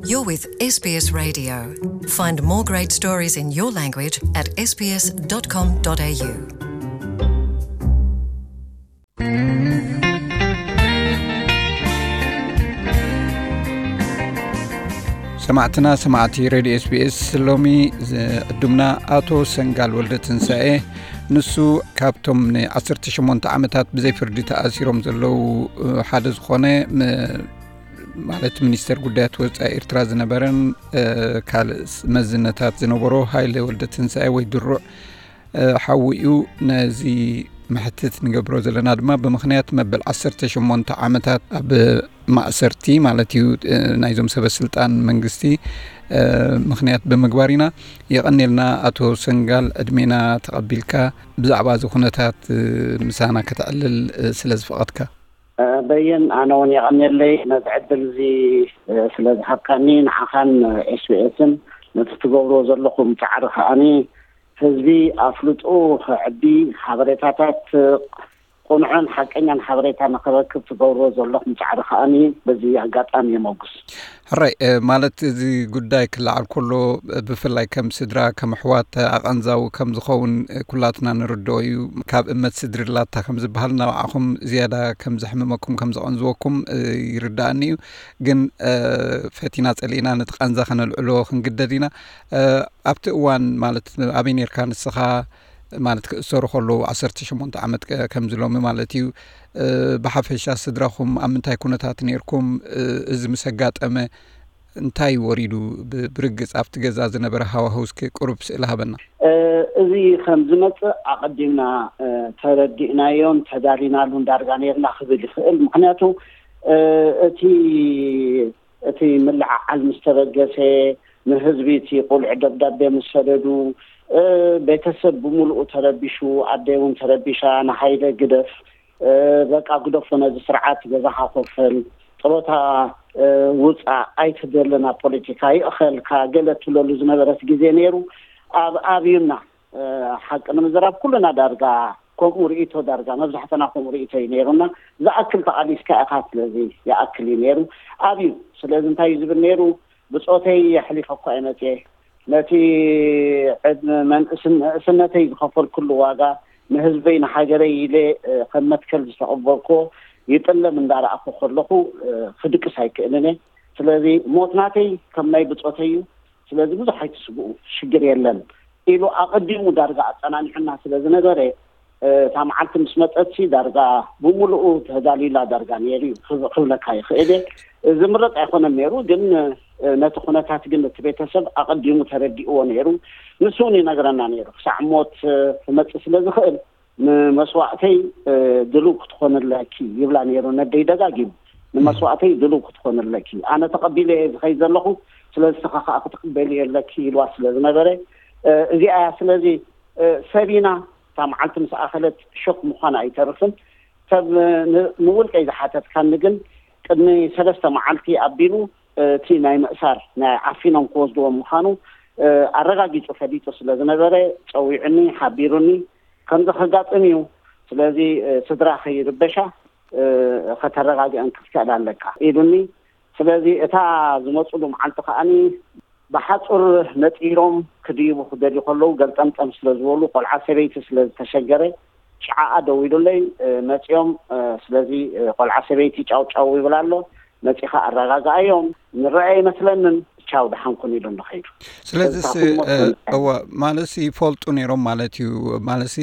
You're with S B S Radio. Find more great stories in your language at S B S dot com dot A U. ሰማዕትና ሰማዕቲ ሬድዮ ኤስቢኤስ፣ ሎሚ ዕዱምና ኣቶ ሰንጋል ወልደ ትንሳኤ፣ ንሱ ካብቶም ን18 ዓመታት ብዘይ ፍርዲ ተኣሲሮም ዘለዉ ሓደ ዝኾነ፣ ማለት ሚኒስተር ጉዳያት ወፃኢ ኤርትራ ዝነበረን ካልእ መዝነታት ዝነበሮ ሃይለ ወልደ ትንሳኤ ወይ ድሩዕ ሓዊ እዩ። ነዚ መሕትት ንገብሮ ዘለና ድማ ብምኽንያት መበል 18 ዓመታት ኣብ ማእሰርቲ ማለት እዩ ናይዞም ሰበ ስልጣን መንግስቲ ምኽንያት ብምግባር ኢና። የቐኔልና ኣቶ ሰንጋል ዕድሜና ተቐቢልካ ብዛዕባ እዚ ኩነታት ምሳና ከተዕልል ስለ ዝፈቐድካ። በየን፣ ኣነ እውን የቐኔለይ ነዚ ዕድል እዚ ስለ ዝሃብካኒ፣ ንዓኻን ኤስቢኤስን ነቲ ትገብርዎ ዘለኹም ፃዕሪ ከኣኒ ህዝቢ ኣፍልጡ ከዕቢ፣ ሓበሬታታት ቅኑዕን ሓቀኛን ሓበሬታ ንክረክብ ትገብርዎ ዘለኹም ፃዕሪ ከኣኒ በዚ ኣጋጣሚ የመጉስ። ሕራይ ማለት እዚ ጉዳይ ክለዓል ከሎ ብፍላይ ከም ስድራ ከም ኣሕዋት ኣቐንዛዊ ከም ዝኸውን ኩላትና ንርድኦ እዩ። ካብ እመት ስድሪ ላታ ከም ዝበሃል ናባዕኹም ዝያዳ ከም ዘሕምመኩም ከም ዘቐንዝወኩም ይርዳእኒ እዩ። ግን ፈቲና ጸሊእና ነቲ ቃንዛ ከነልዕሎ ክንግደድ ኢና። ኣብቲ እዋን ማለት ኣበይ ነርካ ንስኻ? ማለት ክእሰሩ ከለዉ 18 ዓመት ከም ዝሎሚ ማለት እዩ። ብሓፈሻ ስድራኹም ኣብ ምንታይ ኩነታት ነርኩም? እዚ ምስ ኣጋጠመ እንታይ ወሪዱ? ብርግጽ ኣብቲ ገዛ ዝነበረ ሃዋህው እስኪ ቁሩብ ስእሊ ሃበና። እዚ ከም ዝመጽእ ኣቐዲምና ተረዲእናዮን ተዳሊናሉን ዳርጋ ነርና ክብል ይኽእል። ምኽንያቱ እቲ እቲ ምልዕዓል ምስ ተበገሰ፣ ንህዝቢ እቲ ቁልዕ ደብዳቤ ምስ ሰደዱ፣ ቤተሰብ ብምሉኡ ተረቢሹ፣ ኣደይ እውን ተረቢሻ፣ ንሃይለ ግደፍ፣ በቃ ግደፎ ነዚ ስርዓት፣ ገዛኻ ኮፈል፣ ጥሮታ ውፃእ፣ ኣይትደልን ኣብ ፖለቲካ፣ ይእኸልካ፣ ገለ ትብለሉ ዝነበረት ግዜ ነይሩ። ኣብ ኣብዩና ሓቂ ንምዝራብ ኩልና ዳርጋ ከምኡ ርእይቶ፣ ዳርጋ መብዛሕትና ከምኡ ርእይቶ እዩ ነይሩና። ዝኣክል ተቓሊስካ ኢኻ፣ ስለዚ ይኣክል እዩ ነይሩ። ኣብዩ ስለዚ እንታይ እዩ ዝብል ነይሩ? ብፆተይ ኣሕሊፈ እኳ እየ መፅየ። ነቲ ዕድመ መንእስነተይ ዝኸፈልኩሉ ዋጋ፣ ንህዝበይ ንሃገረይ ኢለ ከም መትከል ዝተቐበልኩዎ ይጥለም እንዳረኣኹ ከለኹ ክድቅስ ኣይክእልን እየ። ስለዚ ሞት ናተይ ከም ናይ ብፆተይ እዩ። ስለዚ ብዙሕ ኣይትስግኡ፣ ሽግር የለን ኢሉ ኣቐዲሙ ዳርጋ ኣጸናኒዑና ስለ ዝነበረ፣ እታ መዓልቲ ምስ መጸትሲ ዳርጋ ብምሉኡ ተዳልዩላ ዳርጋ ነይሩ እዩ ክብ- ክብለካ ይኽእል እየ። ዝምረጽ ኣይኮነን ነይሩ፣ ግን ነቲ ኩነታት ግን እቲ ቤተሰብ ኣቐዲሙ ተረዲእዎ ነይሩ። ንሱ እውን ይነግረና ነይሩ፣ ክሳዕ ሞት ክመጽእ ስለ ዝኽእል ንመስዋእተይ ድልው ክትኾንለኪ ይብላ ነይሩ ነደይ ደጋጊሙ። ንመስዋእተይ ድልው ክትኾንለኪ፣ ኣነ ተቐቢለ እየ ዝኸይድ ዘለኹ፣ ስለዚ ንስኻ ከዓ ክትቕበሊ የለኪ ኢልዋ ስለ ዝነበረ፣ እዚኣ እያ። ስለዚ ሰብ ኢና፣ እታ መዓልቲ ምስ ኣኸለት ሾክ ምዃና ኣይተርፍን። ሰብ ንውልቀይ ዝሓተትካኒ ግን ቅድሚ ሰለስተ መዓልቲ ኣቢሉ እቲ ናይ ምእሳር ናይ ዓፊኖም ክወስድዎም ምዃኑ ኣረጋጊፁ ፈሊጡ ስለ ዝነበረ ፀዊዑኒ፣ ሓቢሩኒ። ከምዚ ከጋጥም እዩ፣ ስለዚ ስድራ ከይርበሻ ከተረጋግአን ክትክእል ኣለካ ኢሉኒ። ስለዚ እታ ዝመፅሉ መዓልቲ ከዓኒ ብሓፁር ነፂሮም ክድይቡ ክደልዩ ከለዉ ገልጠምጠም ስለ ዝበሉ ቆልዓ ሰበይቲ ስለ ዝተሸገረ ሸዓኣ ደዊሉለይ መፂኦም። ስለዚ ቆልዓ ሰበይቲ ጫው ጫው ይብል ኣሎ፣ መፂኻ ኣረጋግኣዮም፣ ንረአ ኣይመስለንን፣ ቻው ደሓንኩን ኢሉ ንኸይዱ። ስለዚስ እዋ ማለትሲ ይፈልጡ ነይሮም ማለት እዩ። ማለትሲ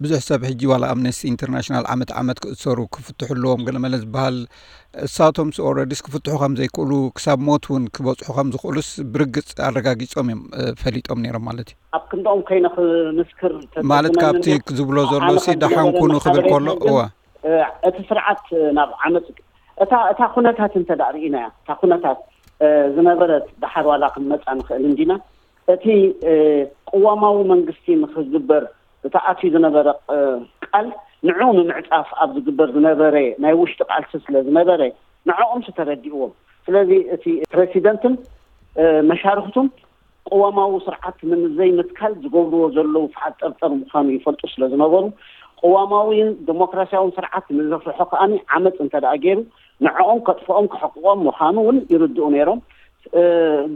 ብዙሕ ሰብ ሕጂ ዋላ ኣምነስቲ ኢንተርናሽናል ዓመት ዓመት ክእሰሩ ክፍትሑ ኣለዎም ገለመለ ዝበሃል፣ እሳቶምስ ኦረዲስ ክፍትሑ ከም ዘይክእሉ ክሳብ ሞት እውን ክበፅሑ ከም ዝኽእሉስ ብርግፅ ኣረጋጊፆም እዮም ፈሊጦም ነይሮም ማለት እዩ። ኣብ ክንድኦም ከይነ ክምስክር ማለት ካብቲ ዝብሎ ዘሎ ሲ ደሓንኩኑ ክብል ከሎ እዋ እቲ ስርዓት ናብ ዓመፅ እታ እታ ኩነታት እንተ ደኣ ርኢናያ፣ እታ ኩነታት ዝነበረት ደሓር ዋላ ክንመፃ ንኽእል እንዲና። እቲ ቅዋማዊ መንግስቲ ንኽግበር እቲ ኣትዩ ዝነበረ ቃል ንዑ ንምዕፃፍ ኣብ ዝግበር ዝነበረ ናይ ውሽጢ ቃልሲ ስለ ዝነበረ ንዕኦም ተረዲእዎም። ስለዚ እቲ ፕረሲደንትን መሻርክቱን ቅዋማዊ ስርዓት ንምዘይምትካል ዝገብርዎ ዘለዉ ፍሓጥ ጠርጠር ምዃኑ ይፈልጡ ስለ ዝነበሩ፣ ቅዋማዊን ዲሞክራሲያውን ስርዓት ንዘፍርሖ ከኣ ዓመፅ እንተ ደኣ ገይሩ ንዕኦም ከጥፍኦም ክሕቅቆም ምዃኑ እውን ይርድኡ ነይሮም።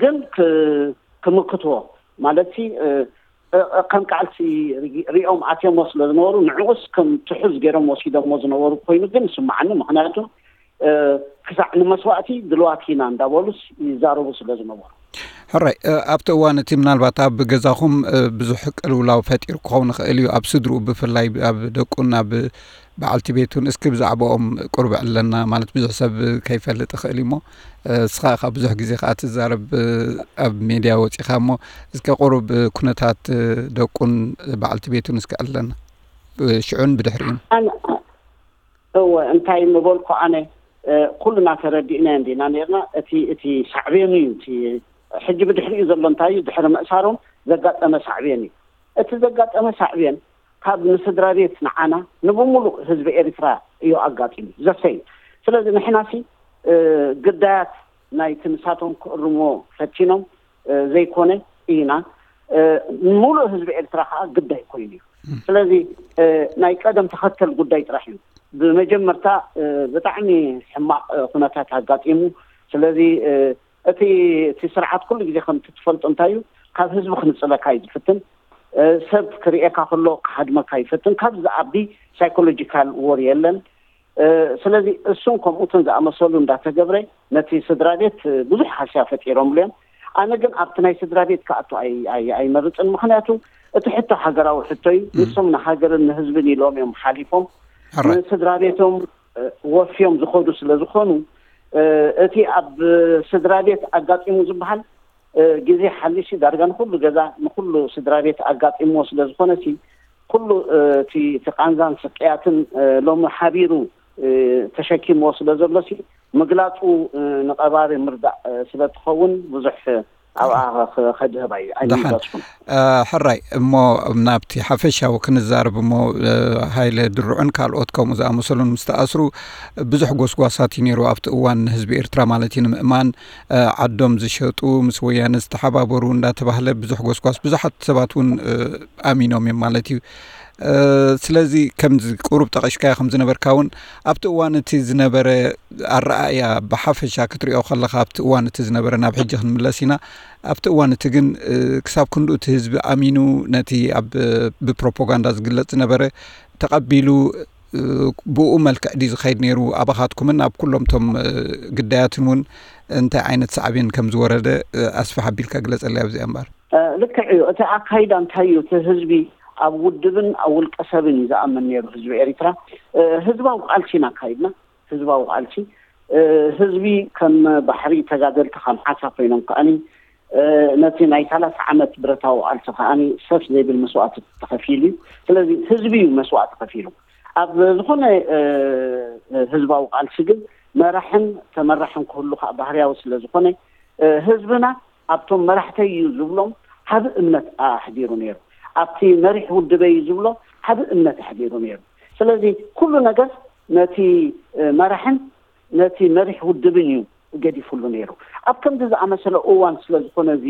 ግን ክምክትዎ ማለት ከም ቃልሲ ሪኦም ኣትዮሞ ስለ ዝነበሩ ንዕኡስ ከም ትሑዝ ገይሮም ወሲዶሞ ዝነበሩ ኮይኑ ግን ይስምዓኒ። ምክንያቱ ክሳዕ ንመስዋእቲ ድልዋት ኢና እንዳበሉስ ይዛረቡ ስለ ዝነበሩ። ሕራይ ኣብቲ እዋን እቲ ምናልባት ኣብ ገዛኹም ብዙሕ ቅልውላው ፈጢሩ ክኸውን ይኽእል እዩ። ኣብ ስድርኡ ብፍላይ ኣብ ደቁን ኣብ በዓልቲ ቤቱን እስኪ ብዛዕባኦም ቁርብ ዕለና ማለት ብዙሕ ሰብ ከይፈልጥ ይኽእል እሞ እስኻ ካብ ብዙሕ ግዜ ከዓ ትዛረብ ኣብ ሜድያ ወፂኻ እሞ እስኪ ቁሩብ ኩነታት ደቁን በዓልቲ ቤቱን እስኪ ዕለና ሽዑን ብድሕሪኡን። እወ እንታይ ምበልኩ ኣነ ኩልና ተረዲእና እንዲና ነርና። እቲ እቲ ሳዕቤኑ እዩ እቲ ሕጂ ብድሕሪኡ ዘሎ እንታይ እዩ ድሕሪ ምእሳሮም ዘጋጠመ ሳዕቤን እዩ። እቲ ዘጋጠመ ሳዕቤን ካብ ንስድራ ቤት ንዓና ንብሙሉእ ህዝቢ ኤርትራ እዩ ኣጋጢሙ ዘሰይ። ስለዚ ንሕናሲ ግዳያት ናይቲ ንሳቶም ክእርሞ ፈቲኖም ዘይኮነ ኢና፣ ሙሉእ ህዝቢ ኤርትራ ከዓ ግዳይ ኮይኑ እዩ። ስለዚ ናይ ቀደም ተኸተል ጉዳይ ጥራሕ እዩ። ብመጀመርታ ብጣዕሚ ሕማቕ ኩነታት ኣጋጢሙ። ስለዚ እቲ እቲ ስርዓት ኩሉ ግዜ ከምቲ ትፈልጦ እንታይ እዩ፣ ካብ ህዝቢ ክንፅለካ እዩ ዝፍትን። ሰብ ክርእየካ ከሎ ክሃድመካ ይፈትን። ካብ ዝኣቢ ሳይኮሎጂካል ዎር የለን። ስለዚ እሱን ከምኡትን ዝኣመሰሉ እንዳተገብረ ነቲ ስድራ ቤት ብዙሕ ሃስያ ፈጢሮምሉ እዮም። ኣነ ግን ኣብቲ ናይ ስድራ ቤት ክኣቱ ኣይመርፅን። ምክንያቱ እቲ ሕቶ ሃገራዊ ሕቶ እዩ። ንሶም ንሃገርን ንህዝብን ኢሎም እዮም ሓሊፎም። ንስድራ ቤቶም ወፍዮም ዝኸዱ ስለ ዝኾኑ እቲ ኣብ ስድራ ቤት ኣጋጢሙ ዝበሃል ግዜ ሓሊሲ ዳርጋ ንኩሉ ገዛ ንኩሉ ስድራ ቤት ኣጋጢምዎ ስለ ዝኾነ ሲ ኩሉ እቲ እቲ ቃንዛን ስቅያትን ሎሚ ሓቢሩ ተሸኪምዎ ስለ ዘሎ ሲ ምግላፁ ንቀባሪ ምርዳእ ስለ ትኸውን ብዙሕ ኣብኣ ከድህብ ኣይምረፅኩን። ሕራይ እሞ ናብቲ ሓፈሻዊ ክንዛረብ እሞ ሃይለ ድርዑን ካልኦት ከምኡ ዝኣመሰሉን ምስ ተኣስሩ ብዙሕ ጎስጓሳት እዩ ነይሩ ኣብቲ እዋን ንህዝቢ ኤርትራ ማለት እዩ ንምእማን ዓዶም ዝሸጡ ምስ ወያነ ዝተሓባበሩ እንዳተባህለ ብዙሕ ጎስጓስ ብዙሓት ሰባት እውን ኣሚኖም እዮም ማለት እዩ። ስለዚ ከምዚ ቁሩብ ጠቐሽካዮ ከም ዝነበርካ እውን ኣብቲ እዋን እቲ ዝነበረ ኣረኣእያ ብሓፈሻ ክትሪኦ ከለካ ኣብቲ እዋን እቲ ዝነበረ ናብ ሕጂ ክንምለስ ኢና። ኣብቲ እዋን እቲ ግን ክሳብ ክንዱ እቲ ህዝቢ ኣሚኑ ነቲ ኣብ ብፕሮፓጋንዳ ዝግለጽ ዝነበረ ተቐቢሉ ብኡ መልክዕ ድዩ ዝኸይድ ነይሩ? ኣባኻትኩምን ኣብ ኩሎም እቶም ግዳያትን እውን እንታይ ዓይነት ሳዕቤን ከም ዝወረደ ኣስፍሕ ኣቢልካ ግለጸለይ ኣብዚኣ እምበር። ልክዕ እዩ። እቲ ኣካይዳ እንታይ እዩ? እቲ ህዝቢ ኣብ ውድብን ኣብ ውልቀ ሰብን እዩ ዝኣምን ነይሩ። ህዝቢ ኤሪትራ ህዝባዊ ቃልሲ ኢና ኣካይድና። ህዝባዊ ቃልሲ ህዝቢ ከም ባሕሪ ተጋደልቲ ከም ሓሳ ኮይኖም ከኣኒ ነቲ ናይ ሰላሳ ዓመት ብረታዊ ቃልሲ ከኣኒ ሰፍ ዘይብል መስዋእቲ ተኸፊሉ እዩ። ስለዚ ህዝቢ እዩ መስዋእቲ ከፊሉ። ኣብ ዝኾነ ህዝባዊ ቃልሲ ግን መራሕን ተመራሕን ክህሉ ከዓ ባህርያዊ ስለ ዝኾነ ህዝብና ኣብቶም መራሕተይ እዩ ዝብሎም ዓቢ እምነት ኣሕዲሩ ነይሩ። ኣብቲ መሪሕ ውድበይ እዩ ዝብሎ ዓቢ እምነት ኣሕዲሩ ነይሩ። ስለዚ ኩሉ ነገር ነቲ መራሕን ነቲ መሪሕ ውድብን እዩ ገዲፉሉ ነይሩ። ኣብ ከምዚ ዝኣመሰለ እዋን ስለ ዝኾነ እዚ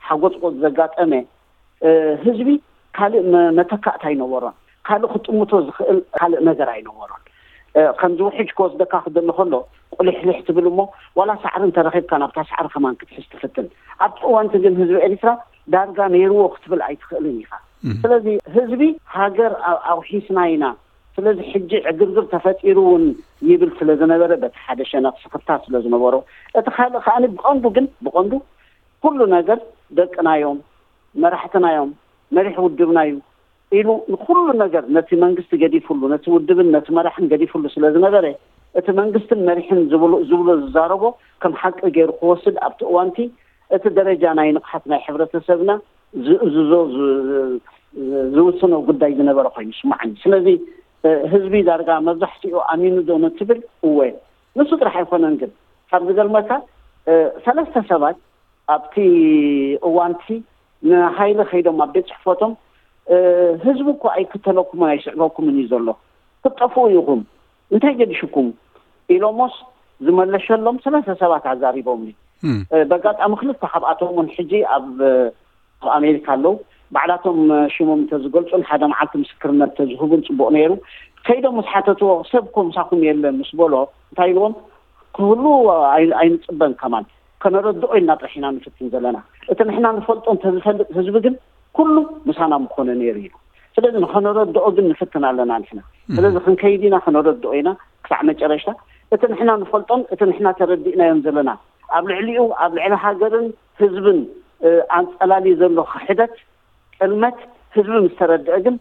ሓጎፅቆፅ ዘጋጠመ ህዝቢ ካልእ መተካእታ ኣይነበሮን። ካልእ ክጥምቶ ዝኽእል ካልእ ነገር ኣይነበሮን። ከምዚ ውሕጅ ክወስደካ ክደሊ ከሎ ቁልሕልሕ ትብል እሞ ዋላ ሳዕሪ እንተረኺብካ ናብታ ሳዕሪ ከማን ክትሕዝ ትፍትን። ኣብቲ እዋንቲ ግን ህዝቢ ኤሪትራ ዳርጋ ነይርዎ ክትብል ኣይትኽእልን ኢኻ። ስለዚ ህዝቢ ሃገር ኣውሒስና ኢና፣ ስለዚ ሕጂ ዕግርግር ተፈጢሩ እውን ይብል ስለ ዝነበረ በቲ ሓደ ሸነኽ ስኽፍታ ስለ ዝነበሮ፣ እቲ ካልእ ከኣ ብቐንዱ ግን ብቐንዱ ኩሉ ነገር ደቅናዮም መራሕትናዮም መሪሕ ውድብናዩ ኢሉ ንኩሉ ነገር ነቲ መንግስቲ ገዲፉሉ ነቲ ውድብን ነቲ መራሕን ገዲፉሉ ስለ ዝነበረ እቲ መንግስትን መሪሕን ዝብሎ ዝዛረቦ ከም ሓቂ ገይሩ ክወስድ ኣብቲ እዋንቲ እቲ ደረጃ ናይ ንቕሓት ናይ ሕብረተሰብና ዝእዝዞ ዝውስኖ ጉዳይ ዝነበረ ኮይኑ ይስማዓኒ። ስለዚ ህዝቢ ዳርጋ መብዛሕትኡ ኣሚኑ ዶ ንትብል እወ። ንሱ ጥራሕ ኣይኮነን ግን ካብ ዝገርመካ ሰለስተ ሰባት ኣብቲ እዋንቲ ንሃይለ ከይዶም ኣብ ቤት ፅሕፈቶም ህዝቢ እኮ ኣይክተለኩምን ኣይስዕበኩምን እዩ ዘሎ ክትጠፍኡ ኢኹም እንታይ ገዲሽኩም ኢሎሞስ ዝመለሸሎም ሰለስተ ሰባት ኣዛሪቦምኒ። በጋጣሚ ክልተ ካብኣቶም እውን ሕጂ ኣብ ኣሜሪካ ኣለዉ። ባዕላቶም ሽሞም እንተዝገልፁን ሓደ መዓልቲ ምስክርነት ተዝህቡን ፅቡቕ ነይሩ። ከይዶም ምስ ሓተትዎ ሰብ እኮ ምሳኹም የለን ምስ በሎ እንታይ ኢልዎም ክህሉ ኣይንፅበን ከማን ከነረድኦ ኢልና ጥራሕ ኢና ንፍትን ዘለና። እቲ ንሕና ንፈልጦ እንተዝፈልጥ ህዝቢ ግን ኩሉ ምሳና ምኾነ ነይሩ ኢሉ። ስለዚ ንኸነረድኦ ግን ንፍትን ኣለና ንሕና። ስለዚ ክንከይድ ኢና፣ ከነረድኦ ኢና ክሳዕ መጨረሽታ። እቲ ንሕና ንፈልጦን እቲ ንሕና ተረዲእናዮን ዘለና ኣብ ልዕሊኡ ኣብ ልዕሊ ሃገርን ህዝብን ኣንጸላሊ ዘሎ ክሕደት፣ ጥልመት ህዝቢ ምስ ተረድአ ግን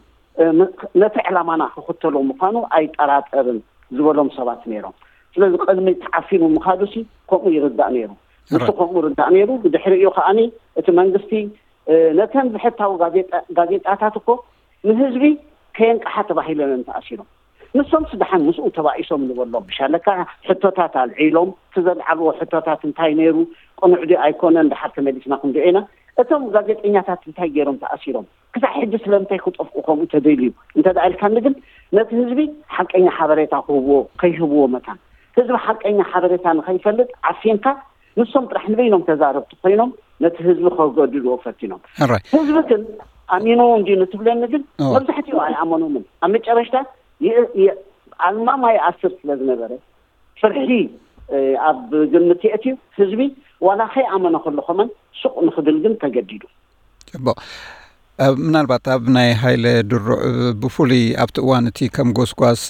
ነቲ ዕላማና ክኽተሎ ምዃኑ ኣይጠራጠርን ዝበሎም ሰባት ነይሮም። ስለዚ ቅድሚ ተዓፊኑ ምኻዱሲ ከምኡ ይርዳእ ነይሩ። ንሱ ከምኡ ርዳእ ነይሩ። ብድሕሪኡ ከዓኒ እቲ መንግስቲ ነተን ብሕታዊ ጋዜጣታት እኮ ንህዝቢ ከየንቅሓ ተባሂለን ተኣሲሮም። ንሶምስ ደሓን ምስኡ ተባኢሶም ንበሎም። ብሻለካ ሕቶታት ኣልዒሎም፣ እቲ ዘልዓልዎ ሕቶታት እንታይ ነይሩ? ቅኑዕ ድዩ ኣይኮነን? ደሓር ተመሊስና ክንሪኦ ኢና። እቶም ጋዜጠኛታት እንታይ ገይሮም ተኣሲሮም? ክሳዕ ሕጂ ስለምንታይ ክጠፍኡ ከምኡ ተደልዩ? እንተ ደኣ ኢልካኒ ግን ነቲ ህዝቢ ሓቀኛ ሓበሬታ ክህብዎ፣ ከይህብዎ መታን ህዝቢ ሓቀኛ ሓበሬታ ንኸይፈልጥ ዓፊንካ ንሶም ጥራሕ ንበይኖም ተዛረብቲ ኮይኖም ነቲ ህዝቢ ከገድድዎ ፈቲኖም። ሕራይ። ህዝቢ ግን ኣሚንዎ እንድዩ ንትብለኒ ግን መብዛሕትኡ ኣይኣመኖምን። ኣብ መጨረሽታ ኣልማማ ይኣስር ስለ ዝነበረ ፍርሒ ኣብ ግምት የእትዩ ህዝቢ ዋላ ከይኣመነ ከሎ ከመን ሱቕ ንኽብል ግን ተገዲዱ። ጽቡቕ። ምናልባት ኣብ ናይ ሃይለ ድሩዕ ብፍሉይ ኣብቲ እዋን እቲ ከም ጎስጓስ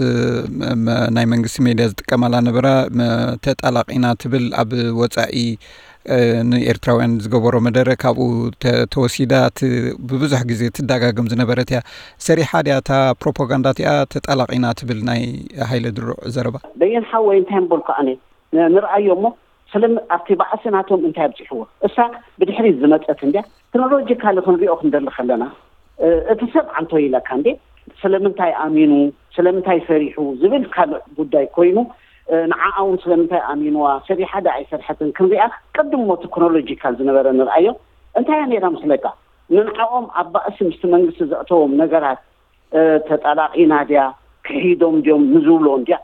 ናይ መንግስቲ ሜድያ ዝጥቀማላ ነበራ ተጣላቂና ትብል ኣብ ወፃኢ ንኤርትራውያን ዝገበሮ መደረ ካብኡ ተወሲዳ ብብዙሕ ግዜ ትዳጋግም ዝነበረት እያ። ሰሪሓ ድያ እታ ፕሮፓጋንዳ እቲኣ ተጣላቂና ትብል ናይ ሃይለ ድሩዕ ዘረባ? በየን ሓወይ እንታይ ምበልኩ ኣነ ንርኣዮ እሞ ስለ ኣብቲ ባእሲ ናቶም እንታይ ኣብፂሕዎ እሳ ብድሕሪት ዝመፀት እንድያ። ክሮኖሎጂካሊ ክንሪኦ ክንደሊ ከለና እቲ ሰብ ዓንቶ ኢለካ እንዴ ስለምንታይ ኣሚኑ ስለምንታይ ፈሪሑ ዝብል ካልእ ጉዳይ ኮይኑ ንዓኣ እውን ስለምንታይ ኣሚንዋ ሰሪሓ ዶ ኣይሰርሐትን ክንሪኣ ቅድም ሞቲ ክሮኖሎጂካል ዝነበረ ንርኣዮ። እንታይ እያ ነይራ ምስለካ ንንዓኦም ኣብ ባእሲ ምስቲ መንግስቲ ዘእተዎም ነገራት ተጣላቂና ድያ ክሒዶም ድዮም ንዝብሎ እንድያ።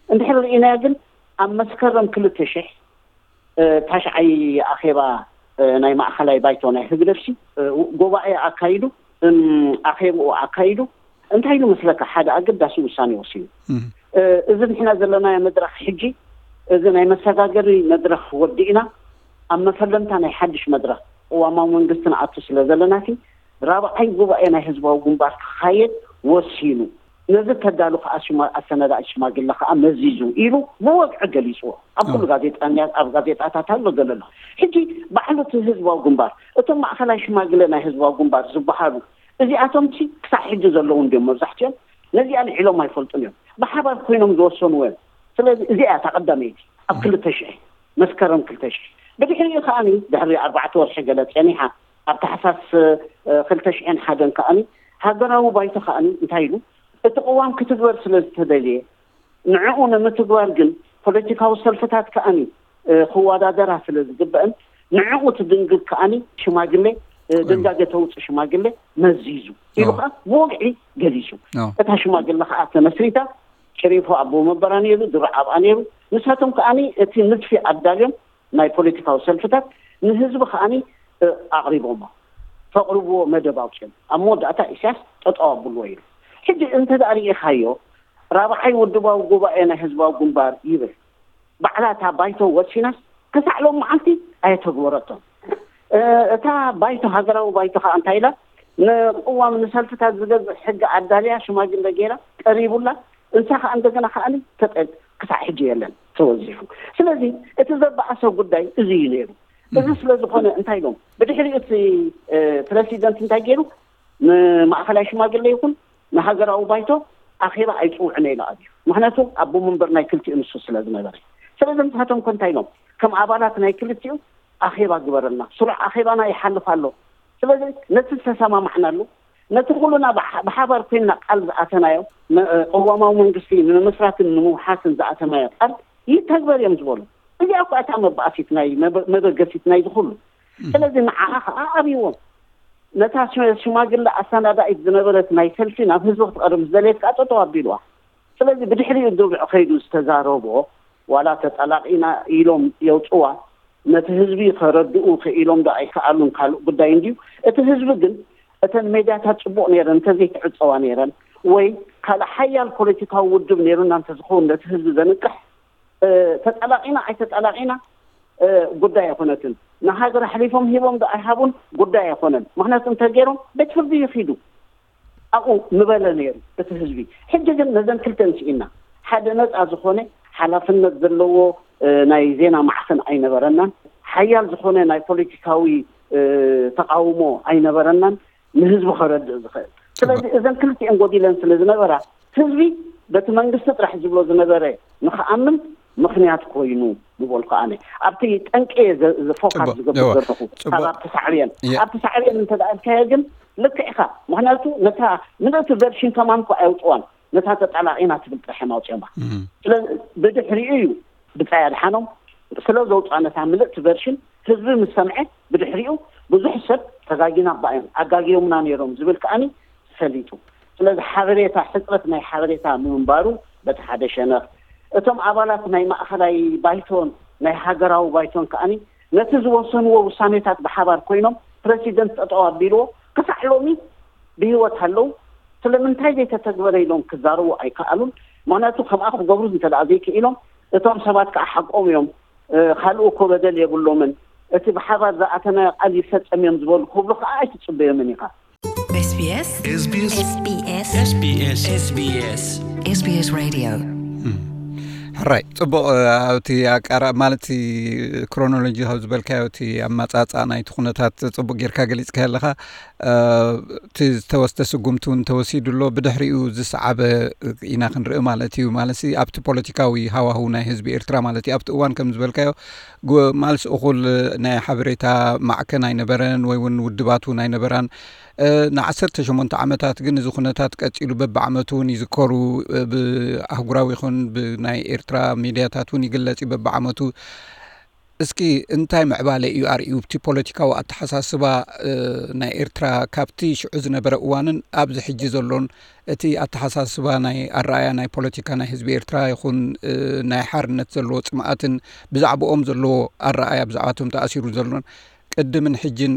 እንድሕር ርኢናዮ ግን ኣብ መስከረም ክልተ ሽሕ ታሽዓይ ኣኼባ ናይ ማእኸላይ ባይቶ ናይ ህግደፍሲ ጎባኤ ኣካይዱ ኣኼብኡ ኣካይዱ እንታይ ኢሉ መስለካ ሓደ ኣገዳሲ ውሳኔ ወሲኑ። እዚ ንሕና ዘለናዮ መድረኽ ሕጂ እዚ ናይ መሰጋገሪ መድረኽ ወዲእና ኣብ መፈለምታ ናይ ሓድሽ መድረኽ ቅዋማዊ መንግስቲ ንኣቱ ስለ ዘለናሲ ራብዓይ ጉባኤ ናይ ህዝባዊ ግንባር ክኻየድ ወሲኑ። ነዚ ተዳሉ ከዓ ኣሰናዳኢ ሽማግለ ከዓ መዚዙ ኢሉ ብወግዒ ገሊፅዎ። ኣብ ኩሉ ጋዜጣ ኣብ ጋዜጣታት ኣሎ ዘሎ ኣሎ። ሕጂ ባዕሉ እቲ ህዝባዊ ግንባር እቶም ማእኸላይ ሽማግለ ናይ ህዝባዊ ግንባር ዝበሃሉ እዚኣቶም ሲ ክሳብ ሕጂ ዘለዉ እንዲዮም መብዛሕትኦም ነዚኣ ልዒሎም ኣይፈልጡን እዮም። ብሓባር ኮይኖም ዝወሰንዎ እዮም። ስለዚ እዚኣ እታ ቀዳመይቲ ኣብ ክልተ ሽሕ መስከረም ክልተ ሽሕ ብድሕሪኡ ከዓኒ ድሕሪ ኣርባዕተ ወርሒ ገለ ፀኒሓ ኣብ ታሕሳስ ክልተ ሽሕን ሓደን ከዓኒ ሃገራዊ ባይቶ ከዓኒ እንታይ ኢሉ እቲ ቅዋም ክትግበር ስለ ዝተደልየ ንዕኡ ንምትግባር ግን ፖለቲካዊ ሰልፍታት ከዓኒ ክወዳደራ ስለ ዝግበአን ንዕኡ ትድንግግ ከዓኒ ሽማግሌ ድንጋገ ተውፅእ ሽማግሌ መዚዙ ኢሉ ከዓ ብወግዒ ገሊፁ። እታ ሽማግለ ከዓ ተመስሪታ ሸሪፎ ኣቦ መንበራ ነይሩ፣ ድሮ ኣብኣ ነይሩ። ንሳቶም ከዓኒ እቲ ንድፊ ኣዳልዮም ናይ ፖለቲካዊ ሰልፍታት ንህዝቢ ከዓኒ ኣቕሪቦሞ። ተቕርብዎ መደብ ኣውፅኦም ኣብ መወዳእታ ኢሳያስ ጠጠው ኣብልዎ ኢሉ። ሕጂ እንተ ደኣ ርኢኻዮ ራብዓይ ውድባዊ ጉባኤ ናይ ህዝባዊ ግንባር ይብል። ባዕላ እታ ባይቶ ወሲናስ ክሳዕ ሎም መዓልቲ ኣየተግበረቶን። እታ ባይቶ ሃገራዊ ባይቶ ከዓ እንታይ ኢላ ንቅዋም ንሰልፍታት ዝገዝእ ሕጊ ኣዳልያ ሽማግለ ገይራ ቀሪቡላ እንሳ ከዓ እንደገና ከዓ ተጠ ክሳዕ ሕጂ የለን ተወዚፉ። ስለዚ እቲ ዘበኣሰ ጉዳይ እዚ እዩ ነይሩ። እዚ ስለ ዝኾነ እንታይ ኢሎም ብድሕሪኡ እቲ ፕረሲደንት እንታይ ገይሩ ንማእኸላይ ሽማግለ ይኹን ንሃገራዊ ባይቶ ኣኼባ ኣይፅውዕን ኢሉ ኣብዩ። ምክንያቱ ኣቦ መንበር ናይ ክልቲኡ ንሱ ስለ ዝነበረ። ስለዚ ንሳቶም ኮ እንታይ ኢሎም ከም ኣባላት ናይ ክልቲኡ ኣኼባ ግበረልና፣ ስሩዕ ኣኼባና ይሓልፍ ኣሎ። ስለዚ ነቲ ዝተሰማማዕናሉ ነቲ ኩሉና ብሓባር ኮይንና ቃል ዝኣተናዮ ቅዋማዊ መንግስቲ ንምምስራትን ንምውሓስን ዝኣተናዮ ቃል ይተግበር እዮም ዝበሉ። እዚኣ እኳ እታ መባእሲት ናይ መበገሲት ናይ ዝኩሉ። ስለዚ ንዓኣ ከዓ ኣብይዎም ነታ ሽማግለ ኣሰናዳኢት ዝነበረት ናይ ሰልፊ ናብ ህዝቢ ክትቐርብ ዝደለየት ከዓ ጠጠው ኣቢልዋ። ስለዚ ብድሕሪኡ ድርዕ ከይዱ ዝተዛረቦ ዋላ ተጠላቂና ኢሎም የውፅዋ ነቲ ህዝቢ ከረድኡ ክኢሎም ዶ ኣይከኣሉን ካልእ ጉዳይ እንድዩ። እቲ ህዝቢ ግን እተን ሜድያታት ፅቡቕ ነይረን እንተዘይትዕፀዋ ነይረን ወይ ካልእ ሓያል ፖለቲካዊ ውድብ ነይሩና እንተዝኸውን ነቲ ህዝቢ ዘንቅሕ ተጠላቂና ኣይተጠላቂና ጉዳይ ኣይኮነትን። ንሃገር ኣሕሊፎም ሂቦም ዶ ኣይሃቡን ጉዳይ ኣይኮነን። ምክንያቱ እንተገይሮም ቤት ፍርዲ ይኺዱ ኣብኡ ምበለ ነይሩ እቲ ህዝቢ። ሕጂ ግን ነዘን ክልተ ንስኢና ሓደ ነፃ ዝኾነ ሓላፍነት ዘለዎ ናይ ዜና ማዕኸን ኣይነበረናን። ሓያል ዝኾነ ናይ ፖለቲካዊ ተቃውሞ ኣይነበረናን፣ ንህዝቢ ከረድእ ዝኽእል። ስለዚ እዘን ክልቲኤን ጎዲለን ስለ ዝነበራ ህዝቢ በቲ መንግስቲ ጥራሕ ዝብሎ ዝነበረ ንክኣምን ምክንያት ኮይኑ ምበልኩ ኣነ። ኣብቲ ጠንቂ ፎካስ ዝገብር ዘለኹ ካብ ኣብቲ ሳዕብየን ኣብቲ ሳዕብየን እንተደኣልካዮ ግን ልክዕ ኢኻ። ምክንያቱ ነታ ምልእቲ ቨርሽን ከማን እኮ ኣየውፅዋን፣ ነታ ተጣላቂና ትብል ጥራሕ እዮም ኣውፅዮማ። ስለዚ ብድሕሪኡ እዩ ብጻይ ኣድሓኖም ስለ ዘውፅኣ ነታ ምልእቲ ቨርሽን ህዝቢ ምስ ሰምዐ ብድሕሪኡ ብዙሕ ሰብ ተጋጊና ባእዮም ኣጋጊዮምና ነይሮም ዝብል ከኣኒ ፈሊጡ። ስለዚ ሓበሬታ ሕፅረት ናይ ሓበሬታ ምንባሩ በቲ ሓደ ሸነኽ፣ እቶም ኣባላት ናይ ማእኸላይ ባይቶን ናይ ሃገራዊ ባይቶን ከኣኒ ነቲ ዝወሰንዎ ውሳኔታት ብሓባር ኮይኖም ፕረሲደንት ጠጠው ኣቢልዎ ክሳዕ ሎሚ ብህይወት ኣለዉ። ስለምንታይ ዘይተተግበረ ኢሎም ክዛረቡ ኣይከኣሉን። ምክንያቱ ከምኣ ክገብሩ እንተ ዘይክኢሎም እቶም ሰባት ከዓ ሓቆም እዮም። ካልኡ እኮ በደል የብሎምን። እቲ ብሓባር ዝኣተናዮ ቃል ይፈፀም እዮም ዝበሉ ክብሉ ከዓ ኣይትፅበዮምን ኢኻ። SBS SBS SBS SBS SBS Radio. ሕራይ ፅቡቕ። ኣብቲ ኣቃራ ማለት ክሮኖሎጂ ካብ ዝበልካዮ እቲ ኣመፃፃ ናይቲ ኩነታት ፅቡቅ ጌርካ ገሊፅካ ኣለካ። እቲ ዝተወስደ ስጉምቲ እውን ተወሲዱ ኣሎ። ብድሕሪኡ ዝሰዓበ ኢና ክንርኢ ማለት እዩ። ማለት ኣብቲ ፖለቲካዊ ሃዋሁ ናይ ህዝቢ ኤርትራ ማለት እዩ። ኣብቲ እዋን ከም ዝበልካዮ ማልስ እኹል ናይ ሓበሬታ ማዕከን ኣይነበረን ወይ እውን ውድባት እውን ኣይነበራን። ንዓሰርተ ሸሞንተ ዓመታት ግን እዚ ኩነታት ቀፂሉ በብዓመቱ እውን ይዝከሩ። ብኣህጉራዊ ይኹን ብናይ ኤርትራ ሚድያታት እውን ይግለፅ እዩ በብዓመቱ። እስኪ እንታይ ምዕባለ እዩ ኣርእዩ ኣብቲ ፖለቲካዊ ኣተሓሳስባ ናይ ኤርትራ ካብቲ ሽዑ ዝነበረ እዋንን ኣብዚ ሕጂ ዘሎን? እቲ ኣተሓሳስባ ናይ ኣረኣያ ናይ ፖለቲካ ናይ ህዝቢ ኤርትራ ይኹን ናይ ሓርነት ዘለዎ ፅምኣትን ብዛዕባኦም ዘለዎ ኣረኣያ ብዛዕባቶም ተኣሲሩ ዘሎን ቅድምን ሕጅን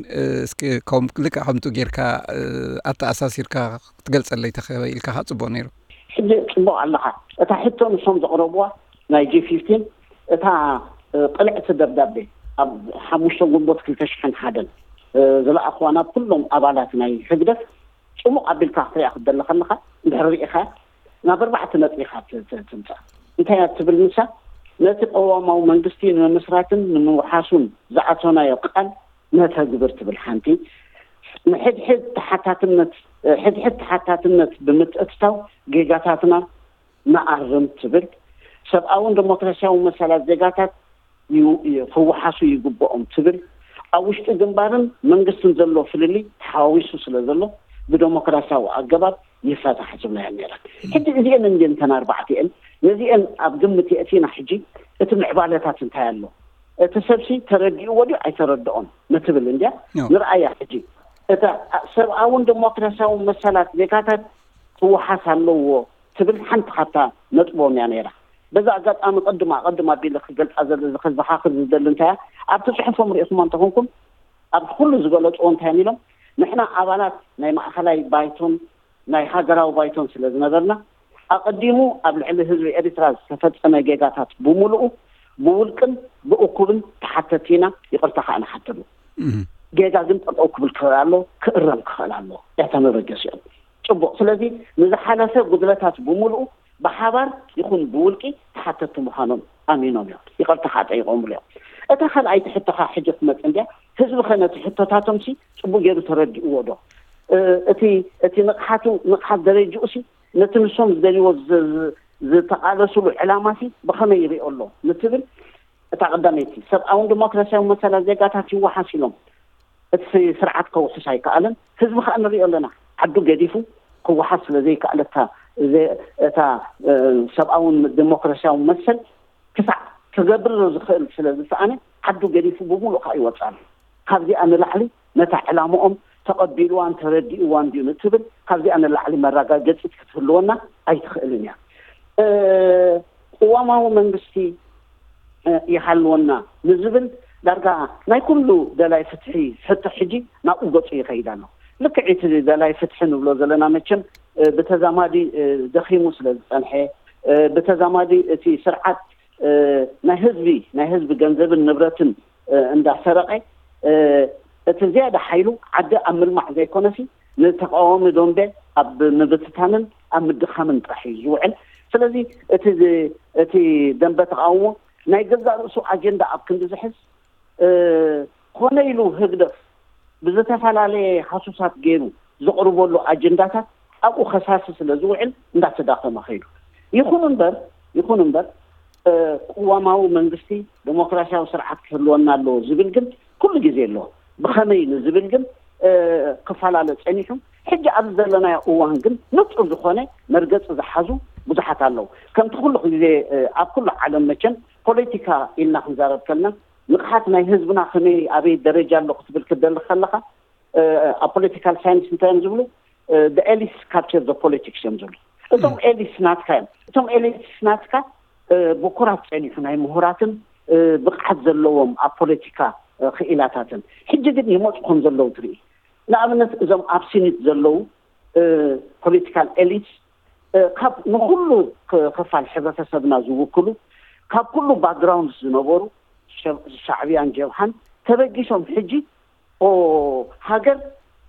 እስኪ ከም ልክዕ ከምቱ ጌርካ ኣተኣሳሲርካ ክትገልጸለይ ተኽኢልካ ጽቡቕ ነይሩ። ሕጂ ጽቡቕ ኣለኻ። እታ ሕቶ ንሶም ዘቕረብዋ ናይ ጂ ፊፍቲን እታ ቅልዕቲ ደብዳቤ ኣብ ሓሙሽተ ግንቦት ክልተ ሽሕን ሓደን ዝለኣኽዋ ናብ ኩሎም ኣባላት ናይ ህግደፍ ጽሙቕ ኣቢልካ ክትሪኣ ክትደሊ ከለኻ እንድሕር ርኢኻ ናብ ኣርባዕተ ነጥቢ ኢኻ ትምጻእ። እንታይ እያ ትብል ንሳ? ነቲ ቅዋማዊ መንግስቲ ንምምስራትን ንምውሓሱን ዝኣተናዮ ቃል ነተግብር ትብል ሓንቲ፣ ንሕድሕድ ተሓታትነት ሕድሕድ ተሓታትነት ብምትእትታው ጌጋታትና ንኣርም ትብል፣ ሰብኣውን ዲሞክራሲያዊ መሰላት ዜጋታት ክውሓሱ ይግብኦም ትብል፣ ኣብ ውሽጢ ግንባርን መንግስትን ዘሎ ፍልልይ ተሓዋዊሱ ስለ ዘሎ ብደሞክራሲያዊ ኣገባብ ይፈታሕ ዝብላ እየን ነይረን። ሕጂ እዚአን እንድየን እተን ኣርባዕቲአን፣ ነዚአን ኣብ ግምት የእቲና ሕጂ እቲ ምዕባለታት እንታይ ኣሎ፣ እቲ ሰብሲ ተረዲእዎ ድዩ ኣይተረድኦን ንትብል እንድያ ንርኣያ። ሕጂ እታ ሰብኣውን ዲሞክራሲያውን መሰላት ዜጋታት ክወሓስ ኣለዎ ትብል ሓንቲ ካብታ ነጥቦም እያ ነይራ። በዛ ኣጋጣሚ ቅድም ኣቐድም ኣቢለ ክገልፃ ዘለ ዝኸዝኻኽር ዝደሊ እንታይ እያ፣ ኣብቲ ፅሑፎም ርኢኹሞ እንተኾንኩም ኣብ ኩሉ ዝገለፅዎ እንታይ እዮም ኢሎም፣ ንሕና ኣባላት ናይ ማእኸላይ ባይቶን ናይ ሃገራዊ ባይቶን ስለ ዝነበርና ኣቐዲሙ ኣብ ልዕሊ ህዝቢ ኤሪትራ ዝተፈፀመ ጌጋታት ብምሉኡ ብውልቅን ብእኩብን ተሓተቲ ኢና፣ ይቕርታ ከዓ ንሓተሉ። ጌጋ ግን ጠጠው ክብል ክኽእል ኣሎ፣ ክእረም ክኽእል ኣሎ። እታ መበገሲኦም ፅቡቕ። ስለዚ ንዝሓለፈ ጉድለታት ብምሉኡ ብሓባር ይኹን ብውልቂ ተሓተቲ ምዃኖም ኣሚኖም እዮም፣ ይቕርታ ከዓ ጠይቆምሉ እዮም። እታ ካልኣይቲ ሕቶኻ ሕጂ ክትመፅእ እንድያ፣ ህዝቢ ኸ ነቲ ሕቶታቶም ሲ ፅቡቅ ገይሩ ተረዲእዎ ዶ? እቲ እቲ ንቕሓቱ ንቕሓት ደረጅኡ ሲ ነቲ ንሶም ዝደልይዎ ዝተቓለስሉ ዕላማ ሲ ብኸመይ ይሪኦ ኣሎ ንትብል፣ እታ ቀዳመይቲ ሰብኣውን ዲሞክራሲያዊ መሰላት ዜጋታት ይወሓስ ኢሎም እቲ ስርዓት ከውሕስ ኣይከኣለን። ህዝቢ ከዓ ንሪኦ ኣለና፣ ዓዱ ገዲፉ ክወሓስ ስለ ዘይከኣለታ እታ ሰብኣውን ዲሞክራሲያዊ መሰል ክሳዕ ክገብር ዝኽእል ስለ ዝሰኣነ ዓዱ ገዲፉ ብምሉእ ከዓ ይወፅእ ኣሎ። ካብዚኣ ንላዕሊ ነታ ዕላምኦም ተቐቢልዋን ተረዲእዋን ድዩ ንትብል ካብዚኣ ንላዕሊ መረጋገፂት ክትህልወና ኣይትኽእልን እያ። ቅዋማዊ መንግስቲ ይሃልወና ንዝብል ዳርጋ ናይ ኩሉ ደላይ ፍትሒ ሕቶ ሕጂ ናብኡ ገፁ ይኸይድ ኣሎ። ልክዕ እቲ ደላይ ፍትሒ ንብሎ ዘለና መቸም ብተዛማዲ ደኺሙ ስለ ዝፀንሐ ብተዛማዲ እቲ ስርዓት እ፣ ናይ ህዝቢ፣ ናይ ህዝቢ ገንዘብን ንብረትን፣ እ፣ እንዳሰረቐ፣ እ፣ እቲ ዝያዳ ሓይሉ ዓዲ ኣብ ምልማዕ ዘይኮነሲ፣ ንተቃዋሚ ደንበ ኣብ ምብትታንን ኣብ ምድኻምን ጥራሕ እዩ ዝውዕል። ስለዚ እቲ ዝ-፣ እቲ ደንበ ተቃውሞ ናይ ገዛእ ርእሱ ኣጀንዳ ኣብ ክንዲ ዝሕዝ፣ እ፣ ኮነ ኢሉ ህግደፍ ብዝተፈላለየ ሃሱሳት ገይሩ ዘቕርበሉ ኣጀንዳታት ኣብኡ ከሳሲ ስለ ዝውዕል እንዳተዳኸመ ኸይዱ። ይኹን እምበር፣ ይኹን እምበር፣ እ፣ ቅዋማዊ መንግስቲ፣ ዴሞክራሲያዊ ስርዓት ክህልወና ኣለዎ ዝብል ግን ኩሉ ግዜ ኣሎ። ብኸመይ ንዝብል ግን፣ እ፣ ክፈላለ ጸኒሑ። ሕጂ ኣብዚ ዘለናዮ እዋን ግን ንጹር ዝኾነ መርገጺ ዝሓዙ ብዙሓት ኣለዉ። ከምቲ ኩሉ ግዜ፣ እ፣ ኣብ ኩሉ ዓለም መቸም ፖለቲካ ኢልና ክንዛረብ ከለና ንቕሓት ናይ ህዝብና ከመይ ኣበይ ደረጃ ኣሎ ክትብል ክደሊ ከለኻ፣ እ፣ ኣብ ፖለቲካል ሳይንስ እንታይ እዮም ዝብሉ? ኤሊትስ ካፕቸር ዘ ፖለቲክስ እዮም ዝብሉ። እቶም ኤሊትስ ናትካ እዮም። እቶም ኤሊትስ ናትካ፣ እ፣ ብኩራት ጸኒሑ ናይ ምሁራትን፣ እ፣ ብቕዓት ዘለዎም ኣብ ፖለቲካ፣ እ፣ ክኢላታትን። ሕጂ ግን ይመፁ ከም ዘለዉ ትርኢ። ንኣብነት እዞም ኣብ ሲኒት ዘለዉ፣ እ፣ ፖለቲካል ኤሊትስ፣ እ፣ ካብ ንኹሉ ክ-፣ ክፋል ሕብረተሰብና ዝውክሉ፣ ካብ ኩሉ ባክግራውንድ ዝነበሩ፣ ሸ-፣ ሻዕብያን ጀብሃን ተበጊሶም ሕጂ፣ ኦ፣ ሃገር፣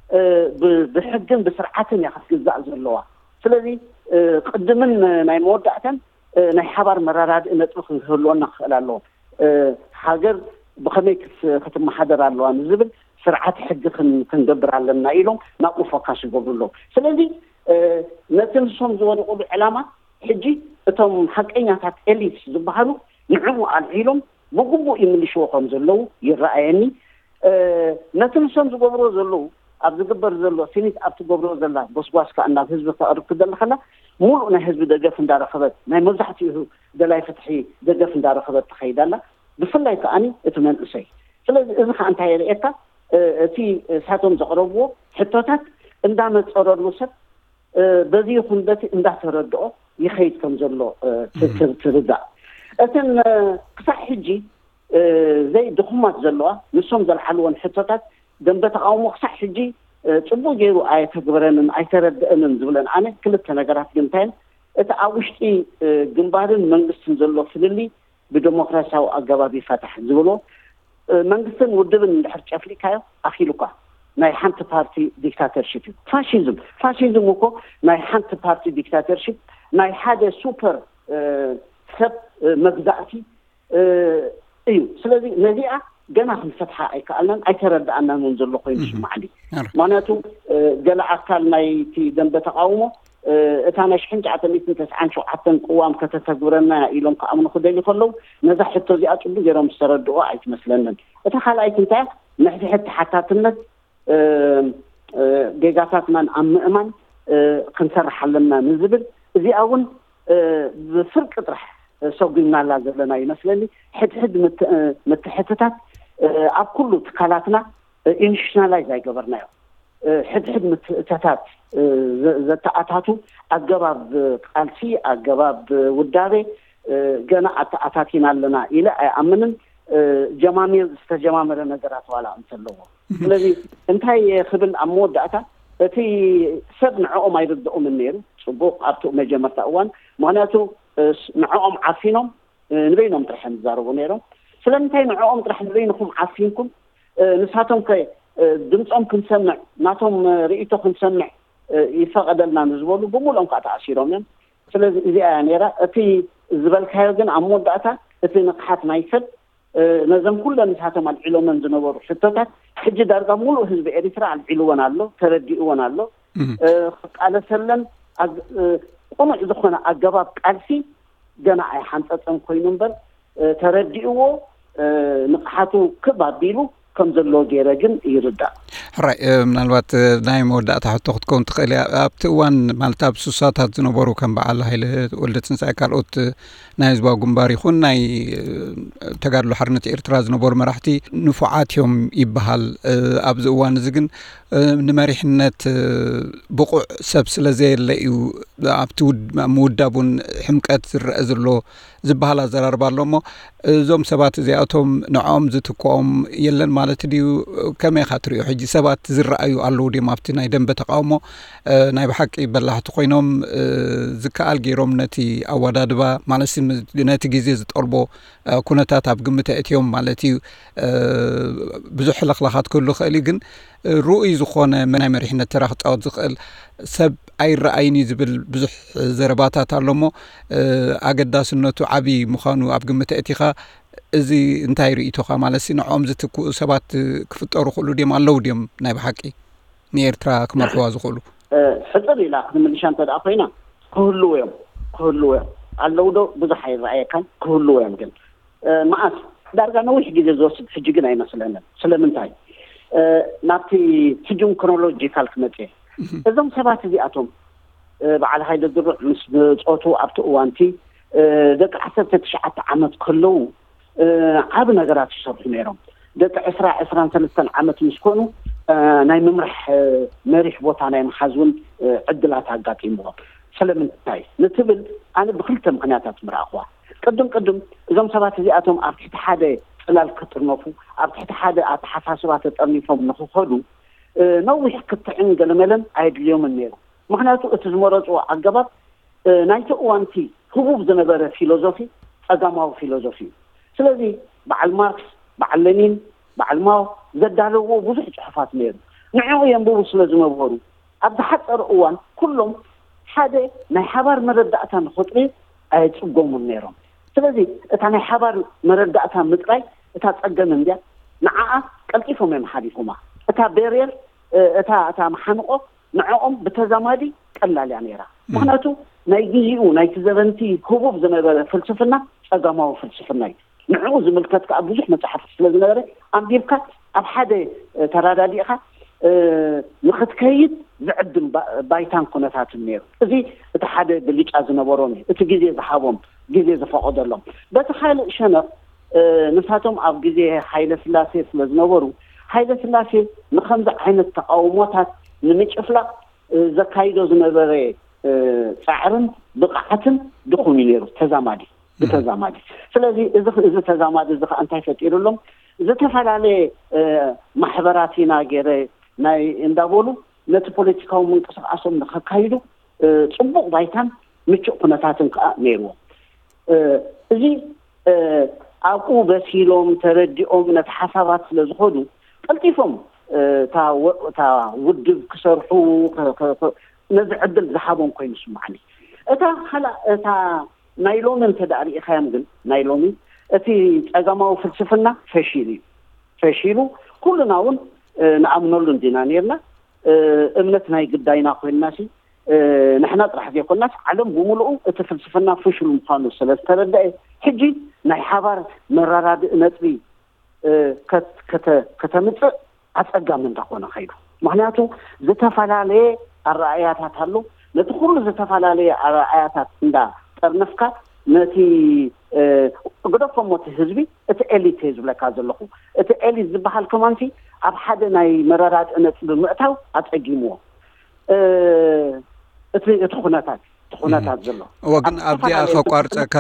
እ፣ ብ-፣ ብሕግን ብስርዓትን እያ ክትግዛእ ዘለዋ። ስለዚ፣ እ፣ ቅድምን ናይ መወዳእታን፣ እ፣ ናይ ሓባር መረዳድኢ ነጥቢ ክንህልወና ክኽእል ኣለዎ። እ፣ ሃገር ብኸመይ ክስ-፣ ክትመሓደር ኣለዋ ንዝብል ስርዓት ሕጊ ክን-፣ ክንገብር ኣለና ኢሎም ናብኡ ፎካስ ይገብሩ ኣለዉ። ስለዚ፣ እ፣ ነቲ ንሶም ዝወደቑሉ ዕላማ ሕጂ እቶም ሓቀኛታት ኤሊትስ ዝበሃሉ ንዕኡ ኣልዒሎም ብግቡእ ይምልሽዎ ከም ዘለዉ ይረኣየኒ። እ፣ ነቲ ንሶም ዝገብርዎ ዘለዉ፣ ኣብ ዝግበር ዘሎ፣ ሲኒት ኣብ ትገብርዎ ዘላ ጎስጓስ ከኣ ናብ ህዝቢ ክተቕርብ ክደሊ ከላ፣ ሙሉእ ናይ ህዝቢ ደገፍ እንዳረኸበት፣ ናይ መብዛሕትኡ ደላይ ፍትሒ ደገፍ እንዳረኸበት ትኸይድ ኣላ። ብፍላይ ከኣኒ እቲ መንእሰይ። ስለዚ እዚ ከኣ እንታይ የርእየካ? እ፣ እቲ እሳቶም ዘቕረብዎ ሕቶታት እንዳነጸረሉ ሰብ፣ እ፣ በዚ ይኹን በቲ እንዳተረድኦ ይኸይድ ከም ዘሎ፣ እ፣ ት-፣ ት-፣ ትርዳእ። እተን፣ እ፣ ክሳዕ ሕጂ፣ እ፣ ዘይ ድኹማት ዘለዋ፣ ንሶም ዘልዓልወን ሕቶታት ደንበ ተቃውሞ ክሳዕ ሕጂ፣ እ፣ ጽቡቕ ገይሩ ኣየተግበረንን ኣይተረድአንን ዝብለን ኣነ ክልተ ነገራት ግን እንታይ እየን? እቲ ኣብ ውሽጢ፣ እ፣ ግንባርን መንግስትን ዘሎ ፍልልይ ብደሞክራሲያዊ ኣገባብ ይፈታሕ ዝብሎ፣ እ፣ መንግስትን ውድብን እንድሕር ጨፍሊካዮ ኣኺሉካ። ናይ ሓንቲ ፓርቲ ዲክታተርሺፕ እዩ። ፋሽዝም፣ ፋሽዝም እኮ ናይ ሓንቲ ፓርቲ ዲክታተርሺፕ፣ ናይ ሓደ ሱፐር፣ እ፣ ሰብ፣ እ፣ መግዛእቲ፣ እ፣ እዩ። ስለዚ ነዚኣ ገና ክንፈትሓ ኣይከኣልናን ኣይተረድኣናን እውን ዘሎ ኮይኑ እህ። ይስማዓኒ። ኣረ። ምኽንያቱ፣ እ፣ ገለ ኣካል ናይቲ ደንበ ተቃውሞ፣ እ፣ እታ ናይ ሽሕን ትሽዓተ ሚእትን ተስዓን ሸውዓተን ቅዋም ከተተግብረና እያ ኢሎም ክኣምኑ ክደልዩ ከለዉ፣ ነዛ ሕቶ እዚኣ ጽቡቕ ገይሮም ዝተረድኦ ኣይትመስለንን። እታ ካልኣይቲ እንታይ እያ? ንሕድሕድ ተሓታትነት፣ እ፣ እ፣ ጌጋታትናን ኣብ ምእማን፣ እ፣ ክንሰርሕ ኣለና ንዝብል፣ እዚኣ እውን፣ እ፣ ብፍርቂ ጥራሕ፣ እ፣ ሰጒምናላ ዘለና ይመስለኒ። ሕድሕድ ምት-፣ እ፣ ምትሕትታት፣ እ፣ ኣብ ኩሉ ትካላትና፣ እ፣ ኢንስቲቱሽናላይዝ ኣይገበርናዮ። እ፣ ሕድሕድ ምትእተታት፣ እ፣ ዘ-፣ ዘተኣታቱ ኣገባብ ቃልሲ፣ ኣገባብ ውዳቤ፣ እ፣ ገና ኣተኣታቲና ኣለና ኢለ ኣይኣምንን። እ፣ ጀማሚር ዝተጀማመረ ነገራት ዋላ እንተለዎ። እህ። ስለዚ እንታይ ክብል ኣብ መወዳእታ፣ እቲ ሰብ ንዕኦም ኣይርድኦምን ነይሩ። ጽቡቕ፣ ኣብቲ መጀመርታ እዋን፣ ምኽንያቱ፣ እ፣ ስ-፣ ንዕኦም ዓፊኖም፣ እ፣ ንበይኖም ጥራሕ እዮም ዝዛረቡ ነይሮም። ስለምንታይ ንዕኦም ጥራሕ ንበይንኹም ዓፊንኩም? እ፣ ንሳቶም ከ፣ እ፣ ድምጾም ክንሰምዕ፣ ናቶም፣ እ፣ ርእይቶ ክንሰምዕ፣ እ፣ ይፈቐደልና ንዝበሉ ብምሉኦም ከዓ ተኣሲሮም እዮም። ስለዚ እዚኣ እያ ነይራ። እቲ ዝበልካዮ ግን ኣብ መወዳእታ እቲ ንቕሓት ናይ ሰብ፣ እ፣ ነዘን ኩለን ንሳቶም ኣልዒሎመን ዝነበሩ ሕቶታት ሕጂ ዳርጋ ሙሉእ ህዝቢ ኤሪትራ ኣልዒልወን ኣሎ፣ ተረዲእወን ኣሎ። እህ። እ፣ ክቃለሰለን ኣግ-፣ እ፣ ቅኑዕ ዝኾነ ኣገባብ ቃልሲ ገና ኣይሓንጸጸን ኮይኑ እምበር፣ እ፣ ተረዲእዎ፣ እ፣ ንቕሓቱ ክብ ኣቢሉ ከም ዘሎ ገይረ ግን ይርዳእ። ሕራይ፣ እ፣ ምናልባት፣ እ፣ ናይ መወዳእታ ሕቶ ክትከውን ትኽእል እያ። ኣብቲ እዋን፣ ማለት ኣብ ሱሳታት ዝነበሩ ከም በዓል ሃይለ ወልደ ትንሳኤ፣ ካልኦት፣ እ፣ ናይ ህዝባዊ ግንባር ይኹን ናይ፣ እ፣ ተጋድሎ ሓርነት ኤርትራ ዝነበሩ መራሕቲ ንፉዓት እዮም ይበሃል። እ፣ ኣብዚ እዋን እዚ ግን ንመሪሕነት ብቑዕ ሰብ ስለ ዘየለ እዩ ኣብቲ ምውዳብ እውን ሕምቀት ዝረአ ዘሎ ዝበሃል ኣዘራርባ ኣሎ። እሞ እዞም ሰባት እዚኣቶም ንዕኦም ዝትክኦም የለን ማለት ድዩ? ከመይ ኢኻ ትሪኦ? ሕጂ ሰባት ዝረኣዩ ኣለዉ ድዮም ኣብቲ ናይ ደንበ ተቃውሞ? ናይ ብሓቂ በላሕቲ ኮይኖም፣ ዝከኣል ገይሮም ነቲ ኣወዳድባ ማለት ነቲ ግዜ ዝጠልቦ ኩነታት ኣብ ግምት ኣእትዮም ማለት እዩ። ብዙሕ ሕልኽላኻት ክህሉ ይኽእል እዩ፣ ግን ርኡይ ዝኾነ ናይ መሪሕነት ተራ ክጻወት ዝኽእል ሰብ ኣይረኣይን እዩ ዝብል ብዙሕ ዘረባታት ኣሎ። እሞ ኣገዳስነቱ ዓቢ ምዃኑ ኣብ ግምት ኣእቲኻ፣ እዚ እንታይ ርእይቶኻ? ማለት ንዕኦም ዝትክኡ ሰባት ክፍጠሩ ክእሉ ድዮም? ኣለዉ ድዮም ናይ ብሓቂ ንኤርትራ ክመርሕዋ ዝኽእሉ? ሕጽር ኢላ ክትምልሻ እንተ ደኣ ኮይና፣ ክህልዉ እዮም። ክህልዉ እዮም። ኣለዉ ዶ? ብዙሕ ኣይረኣየካን። ክህልዉ እዮም ግን መዓስ? ዳርጋ ነዊሕ ግዜ ዝወስድ ሕጂ ግን ኣይመስለንን። ስለምንታይ? ናብቲ ሕጂ ክሮኖሎጂካል ክመጽእ እየ። እዞም ሰባት እዚኣቶም በዓል ሃይለ ድሩዕ ምስ ጾቱ ኣብቲ እዋንቲ ደቂ ዓሰርተ ትሽዓተ ዓመት ከለዉ ዓቢ ነገራት ይሰርሑ ነይሮም። ደቂ ዕስራ ዕስራን ሰለስተን ዓመት ምስ ኮኑ ናይ ምምራሕ መሪሕ ቦታ ናይ ምሓዝ እውን ዕድላት ኣጋጢምዎም። ስለምንታይ ንትብል ኣነ ብክልተ ምክንያታት ምረኣኽዋ። ቅድም ቅድም እዞም ሰባት እዚኣቶም ኣብ ትሕቲ ሓደ ጽላል ክጥርነፉ፣ ኣብ ትሕቲ ሓደ ኣተሓሳስባ ተጠርኒፎም ንክኸዱ ነዊሕ ክትዕን ገለመለን ኣየድልዮምን ነይሩ። ምክንያቱ እቲ ዝመረፅዎ ኣገባብ ናይቲ እዋንቲ ህቡብ ዝነበረ ፊሎዞፊ ጸጋማዊ ፊሎዞፊ እዩ። ስለዚ በዓል ማርክስ፣ በዓል ለኒን፣ በዓል ማው ዘዳለውዎ ብዙሕ ጽሑፋት ነይሩ። ንዕኡ የንብቡ ስለ ዝነበሩ ኣብ ዝሓጸረ እዋን ኩሎም ሓደ ናይ ሓባር መረዳእታ ንኸጥርዩ ኣየጽገሙን ነይሮም። ስለዚ እታ ናይ ሓባር መረዳእታ ምጥራይ እታ ጸገም እንድያ፣ ንዓኣ ቀልጢፎም እዮም ሓሊፎማ። እታ ቤርየር፣ እታ እታ መሓንቆ ንዕኦም ብተዛማዲ ቀላል እያ ነይራ። ምክንያቱ ናይ ግዜኡ ናይቲ ዘበንቲ ህቡብ ዝነበረ ፍልስፍና ጸጋማዊ ፍልስፍና እዩ። ንዕኡ ዝምልከት ከዓ ብዙሕ መጽሓፍቲ ስለ ዝነበረ ኣንቢብካ ኣብ ሓደ ተራዳዲእካ ንክትከይድ ዝዕድም ባይታን ኩነታትን ነይሩ። እዚ እቲ ሓደ ብልጫ ዝነበሮም እዩ፣ እቲ ግዜ ዝሃቦም፣ ግዜ ዝፈቐደሎም። በቲ ካልእ ሸነኽ ንሳቶም ኣብ ግዜ ሃይለ ስላሴ ስለ ዝነበሩ ሃይለ ስላሴ ንከምዚ ዓይነት ተቃውሞታት ንምጭፍላቕ ዘካይዶ ዝነበረ ጻዕርን ብቕዓትን ድኹም እዩ ነይሩ፣ ተዛማዲ ብተዛማዲ። ስለዚ እዚ እዚ ተዛማዲ እዚ ከዓ እንታይ ፈጢሩሎም? ዝተፈላለየ ማሕበራት ኢና ገይረ ናይ እንዳበሉ ነቲ ፖለቲካዊ ምንቅስቃሶም ንከካይዱ ጽቡቕ ባይታን ምቹእ ኩነታትን ከዓ ነይርዎም። እዚ ኣብኡ በሲሎም ተረዲኦም ነቲ ሓሳባት ስለ ዝኸዱ ቀልጢፎም እታ ውድብ ክሰርሑ ነዚ ዕድል ዝሃቦም ኮይኑ ስማዕኒ። እታ ካልእ እታ ናይ ሎሚ እንተ ደኣ ርኢኻዮም ግን ናይ ሎሚ እቲ ጸጋማዊ ፍልስፍና ፈሺሉ እዩ። ፈሺሉ ኩልና እውን ንኣምነሉ እንዲና ነርና። እምነት ናይ ግዳይና ኮይንና ሲ ንሕና ጥራሕ ዘይኮንናስ ዓለም ብምሉኡ እቲ ፍልስፍና ፍሹል ምዃኑ ስለ ዝተረደአ ሕጂ ናይ ሓባር መረዳድኢ ነጥቢ ከተምፅእ ኣፀጋሚ እንዳኾነ ከይዱ። ምክንያቱ ዝተፈላለየ ኣረኣእያታት ኣሎ። ነቲ ኩሉ ዝተፈላለየ ኣረኣእያታት እንዳጠርነፍካ ነቲ ግደፎ እሞ እቲ ህዝቢ እቲ ኤሊት እየ ዝብለካ ዘለኹ። እቲ ኤሊት ዝበሃል ከማንሲ ኣብ ሓደ ናይ መረዳድኢ ነጥቢ ምእታው ኣፀጊምዎ። እቲ እቲ ኩነታት እቲ ኩነታት ዘሎ እወ ግን ኣብዚኣ ከቋርፀካ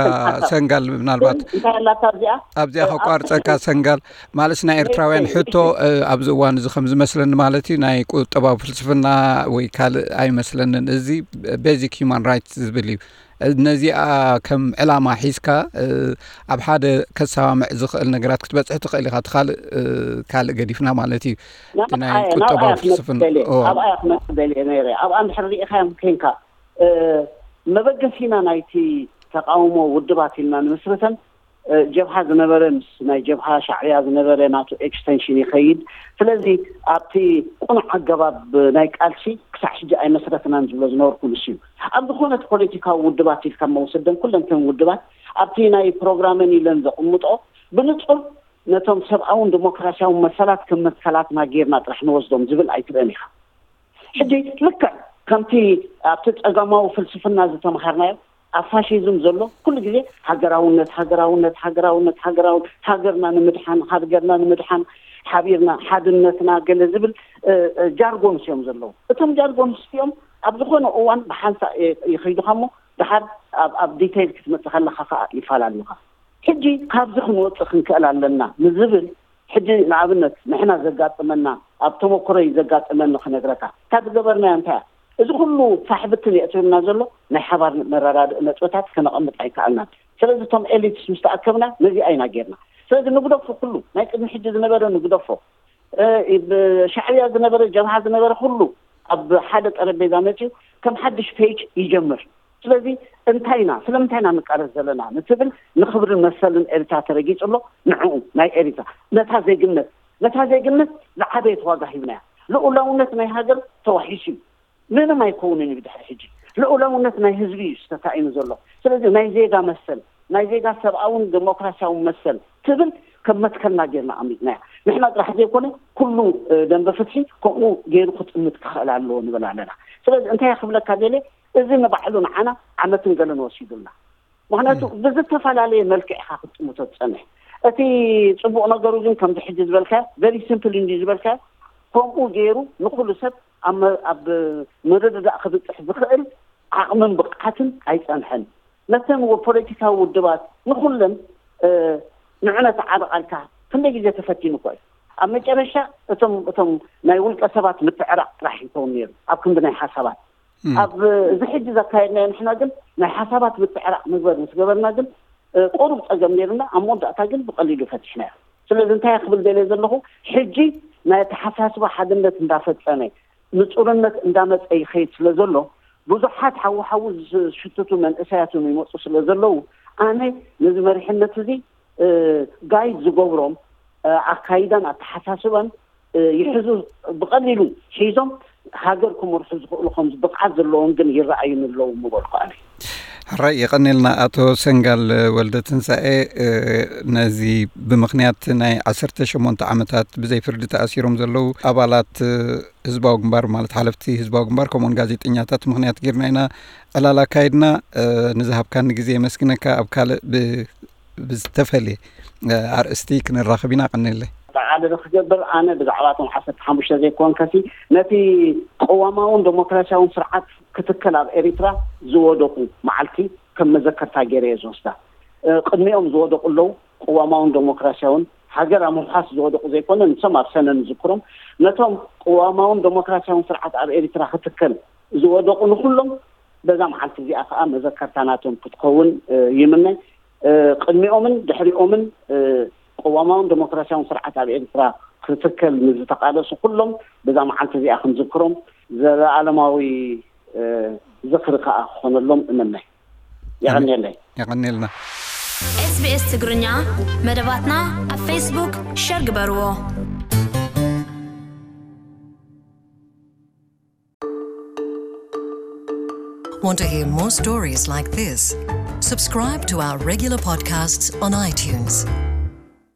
ሰንጋል ምናልባት እንታይ ኣላታ እዚኣ ኣብዚኣ ከቋርፀካ ሰንጋል ማለት ናይ ኤርትራውያን ሕቶ ኣብዚ እዋን እዚ ከም ዝመስለኒ ማለት እዩ ናይ ቁጠባዊ ፍልስፍና ወይ ካልእ ኣይመስለንን። እዚ ቤዚክ ሂማን ራይትስ ዝብል እዩ። ነዚኣ ከም ዕላማ ሒዝካ ኣብ ሓደ ከሰማምዕ ዝኽእል ነገራት ክትበፅሕ ትኽእል ኢኻ። እቲ ካልእ ካልእ ገዲፍና ማለት እዩ። እቲ ናይ ቁጠባዊ ፍልስፍና ኣብኣ ክመፅእ ደልየ ነይረ። ኣብኣ እንድሕር ርኢኻዮም ኮንካ መበገሲና ናይቲ ተቃውሞ ውድባት ኢልና ንምስርተን ጀብሃ ዝነበረ ምስ ናይ ጀብሃ ሻዕብያ ዝነበረ ናቱ ኤክስቴንሽን ይኸይድ። ስለዚ ኣብቲ ቁኑዕ ኣገባብ ናይ ቃልሲ ክሳዕ ሕጂ ኣይመስረትናን ዝብሎ ዝነበርኩ ንሱ እዩ። ኣብ ዝኾነት ፖለቲካዊ ውድባት ኢልካ መውሰደን ኩለንተን ውድባት ኣብቲ ናይ ፕሮግራመን ኢለን ዘቕምጦ ብንጹር ነቶም ሰብኣውን ዲሞክራሲያውን መሰላት ከም መትከላትና ጌርና ጥራሕ ንወስዶም ዝብል ኣይትርእን ኢኻ። ሕጂ ልክዕ ከምቲ ኣብቲ ጸጋማዊ ፍልስፍና ዝተምሃርናዮ ኣብ ፋሽዝም ዘሎ ኩሉ ግዜ ሃገራውነት ሃገራውነት ሃገራውነት ሃገራውነት ሃገርና ንምድሓን ሃገርና ንምድሓን ሓቢርና ሓድነትና ገለ ዝብል ጃርጎንስ እዮም ዘለዉ። እቶም ጃርጎንስ እዚኦም ኣብ ዝኾነ እዋን ብሓንሳእ ይኸይዱኻ እሞ ድሓር ኣብ ዲቴይል ክትመፅእ ከለኻ ከዓ ይፈላለዩኻ። ሕጂ ካብዚ ክንወፅእ ክንክእል ኣለና ንዝብል፣ ሕጂ ንኣብነት ንሕና ዘጋጥመና፣ ኣብ ተመክሮይ ዘጋጥመኒ ክነግረካ። ካብ ዝገበርናዮ እንታይ እያ? እዚ ኩሉ ፋሕብትን የእትዩና ዘሎ ናይ ሓባር መረዳድእ ነጥብታት ከነቐምጥ ኣይከኣልናን። ስለዚ እቶም ኤሊትስ ምስ ተኣከብና ነዚኣ ኢና ጌርና። ስለዚ ንግደፎ፣ ኩሉ ናይ ቅድሚ ሕጂ ዝነበረ ንግደፎ። ሻዕብያ ዝነበረ፣ ጀብሃ ዝነበረ ኩሉ ኣብ ሓደ ጠረጴዛ መፅዩ ከም ሓድሽ ፔጅ ይጀምር። ስለዚ እንታይ ኢና፣ ስለምንታይ ኢና ንቃለስ ዘለና ንትብል፣ ንክብርን መሰልን ኤሪትራ ተረጊጹ ኣሎ። ንዕኡ ናይ ኤሪትራ ነታ ዜግነት፣ ነታ ዜግነት ዝዓበየት ዋጋ ሂብናያ። ልኡላውነት ናይ ሃገር ተዋሒሱ እዩ። ምንም ኣይከውንን እዩ ድሕሪ ሕጂ። ልኡላውነት ናይ ህዝቢ እዩ ዝተሳኢኑ ዘሎ። ስለዚ ናይ ዜጋ መሰል፣ ናይ ዜጋ ሰብኣውን ዴሞክራሲያውን መሰል ትብል ከም መትከልና ጌርና ኣሚጥናያ። ንሕና ጥራሕ ዘይኮነ ኩሉ ደንበ ፍትሒ ከምኡ ገይሩ ክጥምት ክኽእል ኣለዎ ንብል ኣለና። ስለዚ እንታይ ክብለካ ደለ፣ እዚ ንባዕሉ ንዓና ዓመትን ገለን ወሲዱልና። ምክንያቱ ብዝተፈላለየ መልክዕ ኢኻ ክትጥምቶ ትጸንሕ። እቲ ጽቡቕ ነገሩ ግን ከምዚ ሕጂ ዝበልካ ቨሪ ሲምፕል እንዲ ዝበልካ ከምኡ ገይሩ ንኩሉ ሰብ ኣብ መርድዳእ ክብፅሕ ዝኽእል ዓቕምን ብቕዓትን ኣይፀንሐን። ነተን ፖለቲካዊ ውድባት ንኩለን ንዕነት ዓርቓልካ ክንደይ ግዜ ተፈቲኑ እኮ እዩ። ኣብ መጨረሻ እቶም እቶም ናይ ውልቀ ሰባት ምትዕራቕ ጥራሕ ይኸውን ነይሩ ኣብ ክንዲ ናይ ሓሳባት። ኣብ እዚ ሕጂ ዘካየድናዮ ንሕና ግን ናይ ሓሳባት ምትዕራቕ ምግበር ምስ ገበርና ግን ቁሩብ ፀገም ነይርና፣ ኣብ መወዳእታ ግን ብቐሊሉ ፈቲሕናዮ። ስለዚ እንታይ ክብል ደልየ ዘለኹ፣ ሕጂ ናይ ኣተሓሳስባ ሓድነት እንዳፈፀመ ንፁርነት እንዳመፀ ይኸይድ ስለ ዘሎ ብዙሓት ሓዊ ሓዊ ዝሽትቱ መንእሰያት እውን ይመፁ ስለ ዘለዉ ኣነ ነዚ መሪሕነት እዚ ጋይድ ዝገብሮም ኣካይዳን ኣተሓሳስባን ይሕዙ ብቐሊሉ ሒዞም ሃገር ክመርሑ ዝኽእሉ ከም ብቕዓት ዘለዎም ግን ይረኣዩኒ ኣለዉ ምበልኩ ኣነ። ሕራይ የቐኔልና ኣቶ ሰንጋል ወልደ ትንሳኤ። ነዚ ብምኽንያት ናይ ዓሰርተ ሸሞንተ ዓመታት ብዘይ ፍርዲ ተኣሲሮም ዘለዉ ኣባላት ህዝባዊ ግንባር ማለት ሓለፍቲ ህዝባዊ ግንባር ከምኡውን ጋዜጠኛታት ምኽንያት ጌርና ኢና ዕላል ኣካይድና። ንዝሃብካኒ ግዜ የመስግነካ። ኣብ ካልእ ብዝተፈልየ ኣርእስቲ ክንራኸብ ኢና። ቀኒለይ። ጠቓልል ክገብር ኣነ ብዛዕባ እቶም ዓሰርተ ሓሙሽተ ዘይኮንከሲ ነቲ ቅዋማውን ዴሞክራሲያውን ስርዓት ክትከል ኣብ ኤሪትራ ዝወደቑ መዓልቲ ከም መዘከርታ ገይረ እየ ዝወስዳ። ቅድሚኦም ዝወደቑ ኣለዉ። ቅዋማውን ዴሞክራሲያውን ሃገር ኣብ ምውሓስ ዝወደቑ ዘይኮነ ንሶም ኣብ ሰነ ንዝክሮም ነቶም ቅዋማውን ዴሞክራሲያውን ስርዓት ኣብ ኤሪትራ ክትከል ዝወደቑ ንኩሎም በዛ መዓልቲ እዚኣ ከዓ መዘከርታ ናቶም ክትከውን ይምነ። ቅድሚኦምን ድሕሪኦምን ቅዋማውን ዴሞክራሲያውን ስርዓት ኣብ ኤርትራ ክትከል ንዝተቃለሱ ኩሎም በዛ መዓልቲ እዚኣ ክንዝክሮም ዘለኣለማዊ ዝኽሪ ከዓ ክኾነሎም እምነ። የቐንየለይ። የቐንየልና። SBS ትግርኛ መደባትና ኣብ ፌስቡክ ሸር ግበርዎ። Want to hear more stories like this? Subscribe to our regular podcasts on iTunes.